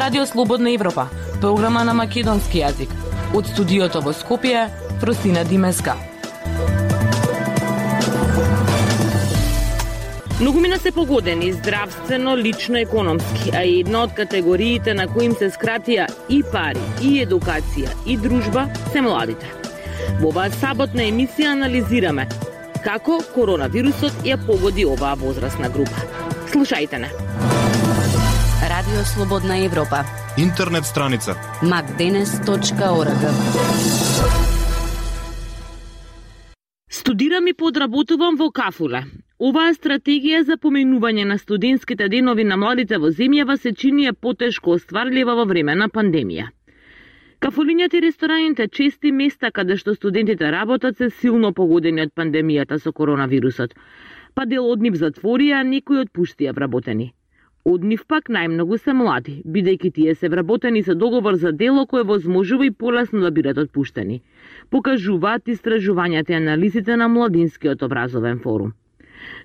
Радио Слободна Европа, програма на македонски јазик. Од студиото во Скопје, Фросина Димеска. Многумина се погодени здравствено, лично, економски, а една од категориите на кои им се скратија и пари, и едукација, и дружба, се младите. Во оваа саботна емисија анализираме како коронавирусот ја погоди оваа возрастна група. Слушајте не. Радио Слободна Европа. Интернет страница macdenes.org. Студирам и подработувам во Кафуле. Оваа стратегија за поменување на студентските денови на младите во земјава се чини потешко остварлива во време на пандемија. Кафулињата и рестораните, чести места каде што студентите работат, се силно погодени од пандемијата со коронавирусот. Па дел од нив затворија, а некои отпуштија вработени. Од нив пак најмногу се млади, бидејќи тие се вработени со договор за дело кој возможува и полесно да бидат отпуштени. Покажуваат истражувањата и анализите на Младинскиот образовен форум.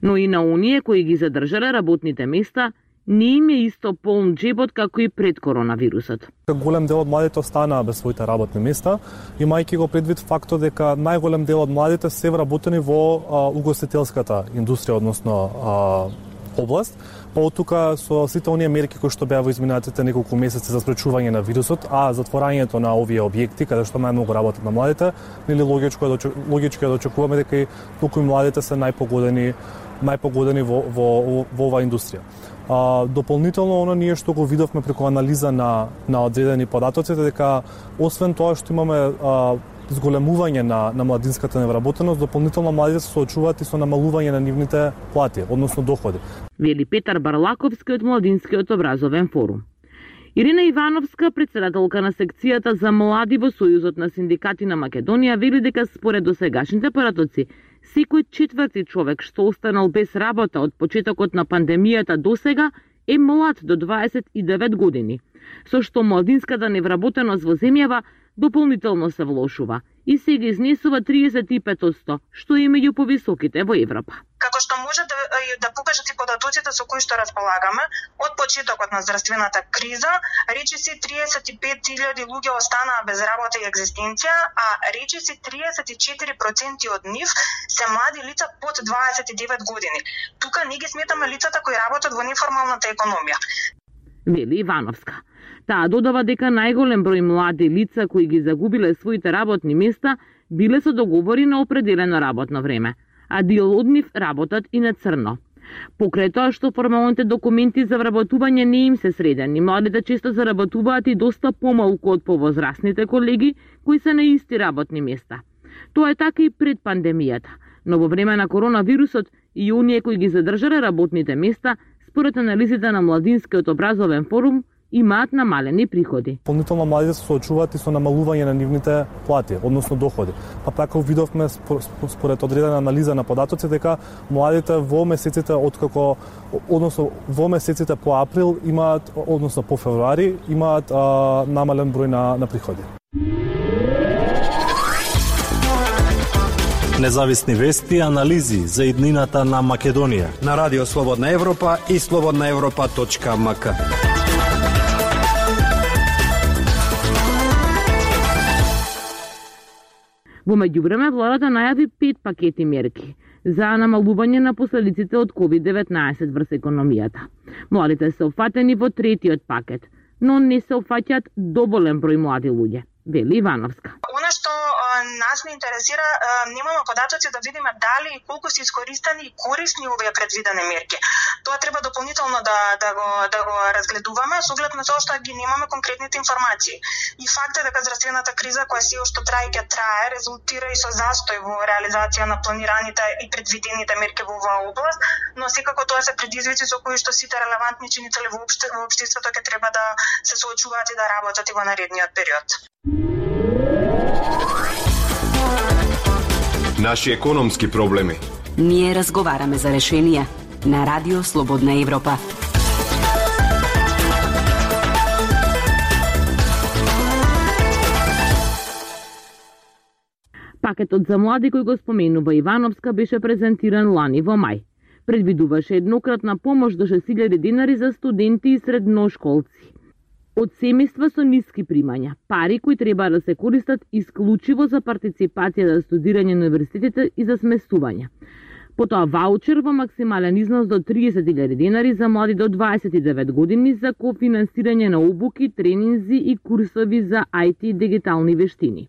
Но и на оние кои ги задржале работните места, не им е исто полн джебот како и пред коронавирусот. Голем дел од младите останаа без своите работни места, имајќи го предвид фактот дека најголем дел од младите се вработени во угостителската индустрија, односно област. Па од тука со сите оние мерки кои што беа во изминатите неколку месеци за спречување на вирусот, а затворањето на овие објекти каде што најмногу работат на младите, нели логичко е да очекуваме дека и толку и младите се најпогодени во оваа индустрија. Дополнително оно ние што го видовме преку анализа на одредени податоци дека освен тоа што имаме зголемување на младинската невработеност, дополнително младите се соочуваат и со намалување на нивните плати, односно доходи. Вели Петар Барлаковски од Младинскиот образовен форум. Ирина Ивановска, председателка на секцијата за млади во Сојузот на синдикати на Македонија, вели дека според досегашните паратоци, секој четврти човек што останал без работа од почетокот на пандемијата досега е млад до 29 години, со што младинската невработеност во земјава дополнително се влошува и сега изнесува 35%, што е меѓу повисоките во Европа. Како што може да покажат и податоците со кои што располагаме, од почетокот на здравствената криза, речиси 35.000 луѓе останаа без работа и екзистенција, а речиси 34% од нив се млади лица под 29 години. Тука не ги сметаме лицата кои работат во неформалната економија. Вели Ивановска. Таа додава дека најголем број млади лица кои ги загубиле своите работни места биле со договори на определено работно време, а дел од нив работат и на црно. Покрај тоа што формалните документи за вработување не им се средени, младите често заработуваат и доста помалку од повозрастните колеги кои се на исти работни места. Тоа е така и пред пандемијата, но во време на коронавирусот и оние кои ги задржале работните места, според анализите на Младинскиот образовен форум, имаат намалени приходи. Дополнително младите се соочуваат и со намалување на нивните плати, односно доходи. Па така видовме според одредена анализа на податоци дека младите во месеците во месеците по април имаат, односно по февруари, имаат намален број на приходи. Независни вести и анализи за иднината на Македонија на Радио Слободна Европа и slobodnaevropa.mk. Во меѓувреме, владата најави 5 пакети мерки за намалување на последиците од COVID-19 врз економијата. Младите се опфатени во третиот пакет, но не се опфаќаат доволен број млади луѓе, вели Ивановска. Она што нас не интересира, немаме податоци да видиме дали и колку се искористени и корисни овие предвидени мерки. Тоа треба дополнително да го разгледуваме, со оглед на тоа што ги немаме конкретните информации. И факт е дека здравствената криза која се уште трае, резултира и со застој во реализација на планираните и предвидените мерки во оваа област, но секако тоа се предизвици со кои што сите релевантни чинители во општеството ќе треба да се соочуваат и да работат и во наредниот период. Наши економски проблеми. Ние разговараме за решенија на Радио Слободна Европа. Пакетот за млади кој го споменува Ивановска беше презентиран лани во мај. Предвидуваше еднократна помош до 6.000 денари за студенти и средношколци. од семејства со ниски примања, пари кои треба да се користат исклучиво за партиципација за студирање на универзитетите и за сместување. Потоа ваучер во максимален износ до 30.000 денари за млади до 29 години за кофинансирање на обуки, тренинзи и курсови за IT и дигитални вештини.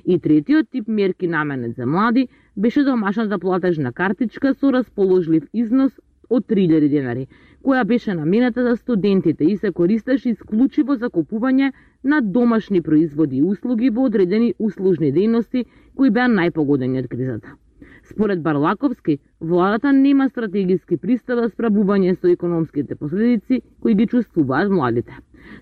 И третиот тип мерки наменет за млади беше домашната платежна картичка со расположлив износ од 3.000 денари, која беше наменета за студентите и се користеше исклучиво за купување на домашни производи и услуги во одредени услужни дејности кои беа најпогодени од кризата. Според Барлаковски, владата нема стратегиски пристап за справување со економските последици кои ги чувствуваат младите.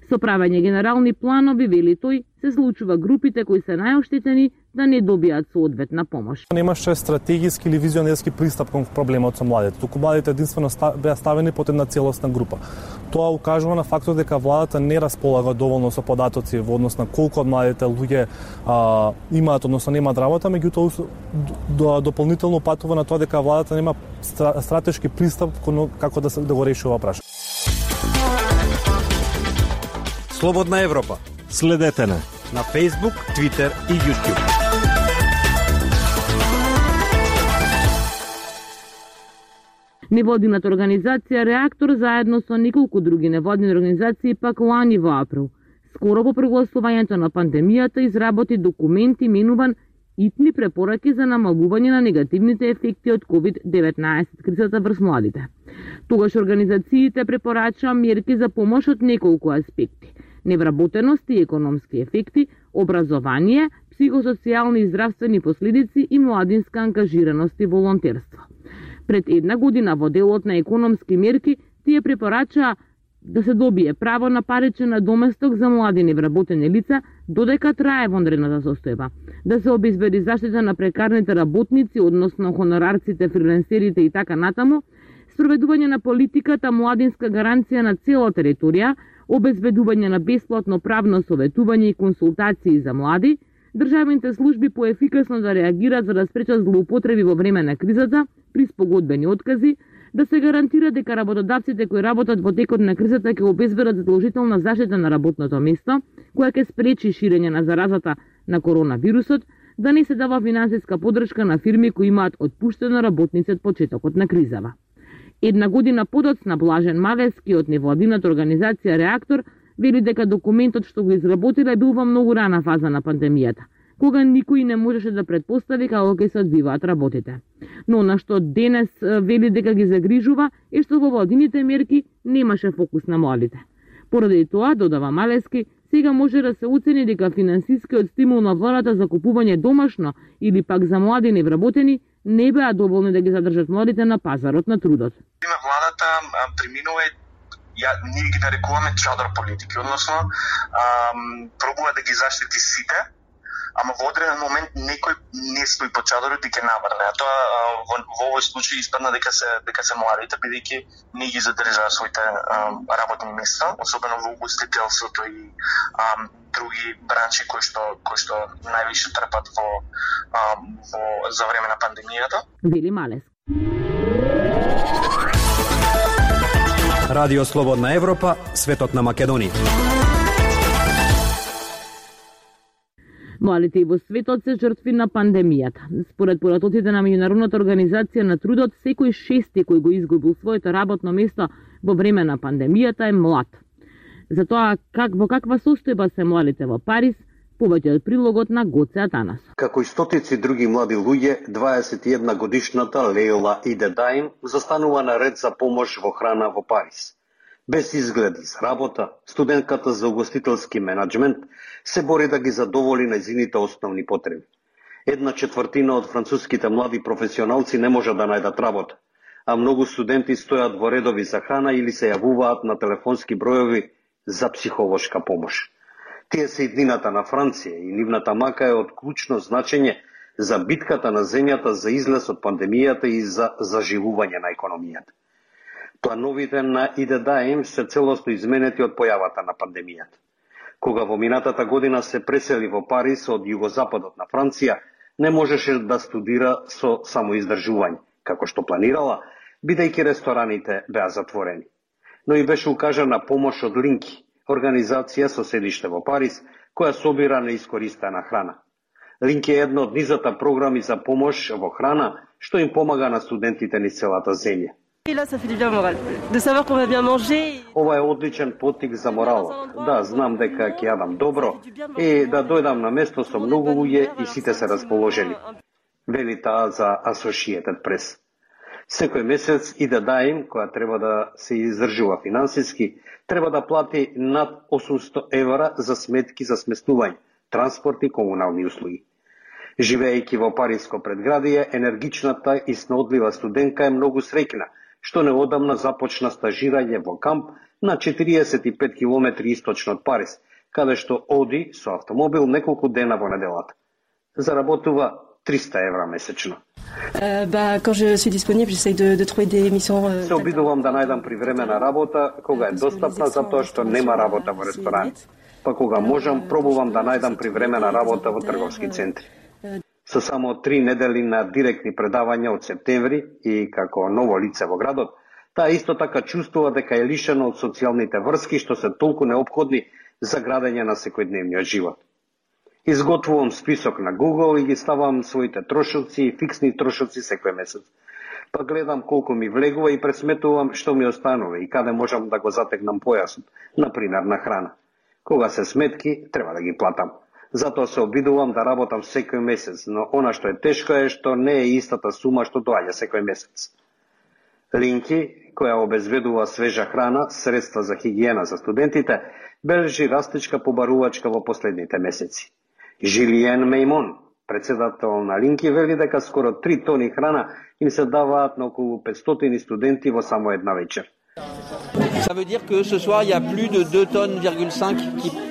Со правење генерални планови, вели тој, се случува групите кои се најоштетени да не добијат соодветна помош. Немаше стратегиски или визионерски пристап кон проблемот со младите. Туку младите единствено беа ставени под една целосна група. Тоа укажува на фактот дека владата не располага доволно со податоци во однос на колку од младите луѓе имаат, односно немаат работа, меѓутоа дополнително патува на тоа дека владата нема стратешки пристап како да го реши ова прашање. Слободна Европа. Следете на Facebook, Twitter и YouTube. Невладината организација Реактор заедно со неколку други невладини организации пак лани во април, скоро по прогласувањето на пандемијата, изработи документ именуван Итни препораки за намалување на негативните ефекти од COVID-19 кризата врз младите. Тогаш организациите препорачаа мерки за помош од неколку аспекти: невработеност и економски ефекти, образование, психосоцијални и здравствени последици и младинска ангажираност и волонтерство. Пред една година во делот на економски мерки тие препорачаа да се добие право на паричен надоместок за млади невработени лица додека трае вонредната состојба, да се обезбеди заштита на прекарните работници, односно хонорарците, фрилансерите и така натаму, спроведување на политиката младинска гаранција на цела територија, обезбедување на бесплатно правно советување и консултации за млади, државните служби поефикасно да реагираат за да спречат злоупотреби во време на кризата при спогодбени откази, да се гарантира дека работодавците кои работат во текот на кризата ќе обезбедат задолжителна заштита на работното место, која ќе спречи ширење на заразата на коронавирусот, да не се дава финансиска поддршка на фирми кои имаат отпуштено работници од почетокот на кризава. Една година подоцна Блажен Малевски од невладината организација Реактор вели дека документот што го изработила бил во многу рана фаза на пандемијата, кога никој не можеше да претпостави како ќе се одвиваат работите. Но на што денес вели дека ги загрижува е што во владините мерки немаше фокус на младите. Поради тоа, додава Малевски, сега може да се оцени дека финансискиот стимул на владата за купување домашно или пак за млади невработени не беа доволни да ги задржат младите на пазарот на трудот. Владата преминува, ние ги нарекуваме чадор политики, односно пробува да ги заштити сите, ама во одреден момент некој не стои по чадорот и ќе наврне. А тоа во овој случај испадна дека се младите, бидејќи не ги задржаа своите работни места, особено во угостителството и други бранши кои што највише трпат за време на пандемијата. Вели Малес. Радио Слободна Европа, светот на Македонија. Младите и во светот се жртви на пандемијата. Според поратоците на Меѓународната организација на трудот, секој шести кој го изгубил своето работно место во време на пандемијата е млад. Затоа, во каква состојба се младите во Париз, повеќе од прилогот на Гоце Атанас. Како и стотици други млади луѓе, 21 годишната Лейла Идедаим застанува на ред за помош во храна во Париз. Без изгледи за работа, студентката за угостителски менаџмент се бори да ги задоволи нејзините основни потреби. 1/4 од француските млади професионалци не може да најдат работа, а многу студенти стојат во редови за храна или се јавуваат на телефонски бројови за психолошка помош. Тие се иднината на Франција и нивната мака е од клучно значење за битката на земјата за излез од пандемијата и за заживување на економијата. Плановите на Идедаим се целосно изменети од појавата на пандемијата. Кога во минатата година се пресели во Париз од југозападот на Франција, не можеше да студира со самоиздржување, како што планирала, бидејќи рестораните беа затворени. Но и беше укажана помош од Линки, организација со седиште во Париз, која собира неискористена храна. Линк е една од низата програми за помош во храна, што им помага на студентите низ целата земја. Ова е одличен поттик за морал. Да, знам дека ќе јадам добро и да дојдам на место со многу луѓе и сите се расположени. Вели таа за Associated Press. Секој месец и да даим, која треба да се издржува финансиски, треба да плати над 800 евра за сметки за сместување, транспорт и комунални услуги. Живеејќи во париско предградие, енергичната и снодлива студентка е многу среќна, што неодамна започна стажирање во камп на 45 километри источно од Париз, каде што оди со автомобил неколку дена во неделата. Заработува 300 евра месечно. Се обидувам да најдам привремена работа кога е достапна, затоа што нема работа во ресторан. Па кога можам, пробувам да најдам привремена работа во трговски центри. Со само 3 недели на директни предавања од септември и како ново лице во градот, таа исто така чувствува дека е лишена од социјалните врски што се толку неопходни за градење на секојдневниот живот. Изготвувам список на Google и ги ставам своите трошоци и фиксни трошоци секој месец. Па гледам колку ми влегува и пресметувам што ми останува и каде можам да го затегнам појасот, например на храна. Кога се сметки, треба да ги платам. Затоа се обидувам да работам секој месец, но она што е тешко е што не е истата сума што доаѓа секој месец. Линки, која обезбедува свежа храна, средства за хигиена за студентите, бележи растечка побарувачка во последните месеци. Жилиен Меймон, председател на Линки, вели дека скоро 3 тони храна им се даваат на околу 500 студенти во само една вечер. Ça veut dire que ce soir il y a plus de 2,5 tonnes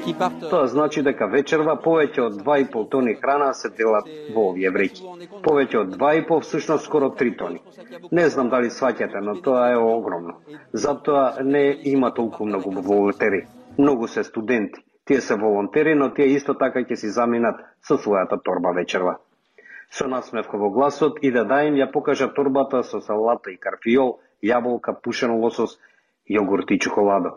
qui partent. Тоа значи дека вечерва повеќе од 2,5 тони храна се делат во овие вреќи. Повеќе од 2,5, всушност скоро 3 тони. Не знам дали сваќате, но тоа е огромно. Затоа не има толку многу волонтери. Многу се студенти. Тие се волонтери, но тие исто така ќе си заминат со својата торба вечерва. Со насмевка во гласот и да даим ја покажа торбата со салата и карфиол, јаболка, пушен лосос, јогурт и чоколадо.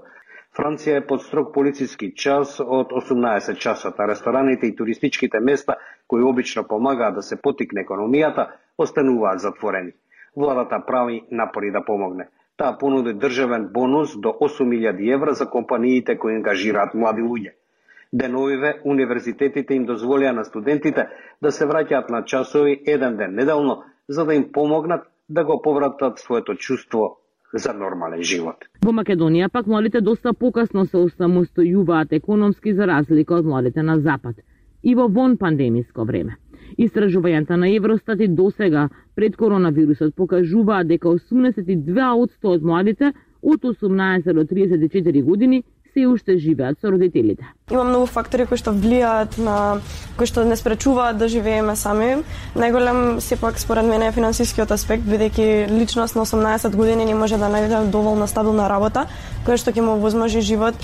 Франција е под строг полициски час од 18 часот, а рестораните и туристичките места, кои обично помагаат да се потикне економијата, остануваат затворени. Владата прави напори да помогне. Таа понуди државен бонус до 8.000 евра за компаниите кои ангажираат млади луѓе. Деновиве, универзитетите им дозволија на студентите да се враќаат на часови еден ден неделно, за да им помогнат да го повратат своето чувство за нормален живот. Во Македонија пак младите доста покасно се осамостојуваат економски за разлика од младите на Запад и во вон пандемиско време. Истражувањата на Евростат и досега пред коронавирусот покажуваат дека 82% од младите од 18 до 34 години се уште живеат со родителите. Има многу фактори кои што влијаат на кои што не спречуваат да живееме сами. Најголем сепак според мене е финансискиот аспект, бидејќи личност на 18 години не може да најде доволно стабилна работа која што ќе му возможи живот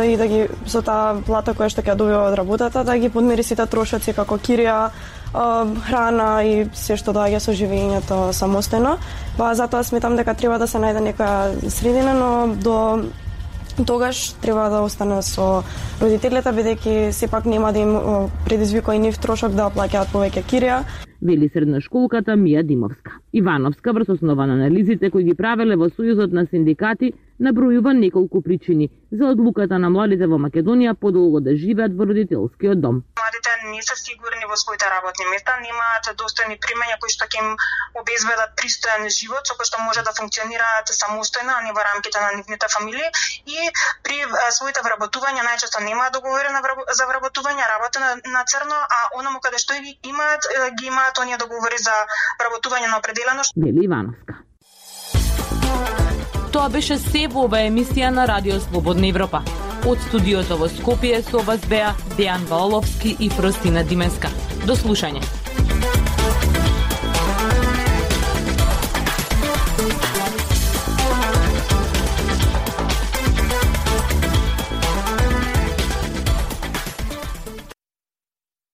и да ги со таа плата која што ќе добива од работата да ги подмири сите трошоци како кирија, храна и се што доаѓа со живењето самостојно. Па затоа сметам дека треба да се најде некоја средина, но до тогаш треба да остане со родителите, бидејќи сепак нема да им предизвика и нив трошок да плаќаат повеќе кирија. Вели средношколката Мија Димовска. Ивановска врз основа на анализите кои ги правеле во Сојузот на синдикати набројува неколку причини за одлуката на младите во Македонија подолго да живеат во родителскиот дом. Младите не се сигурни во своите работни места, немаат достојни примања кои што ќе им обезбедат пристојан живот со кој што може да функционираат самостојно, а не во рамките на нивните фамилии и при своите вработувања најчесто немаат договори за вработување, работа на црно, а онаму каде што ги имаат оние договори за вработување на определено. Вели Ивановска. Тоа беше се во оваа емисија на Радио Слободна Европа. Од студиото во Скопје со вас беа Дејан Валовски и Фростина Дименска. До слушање.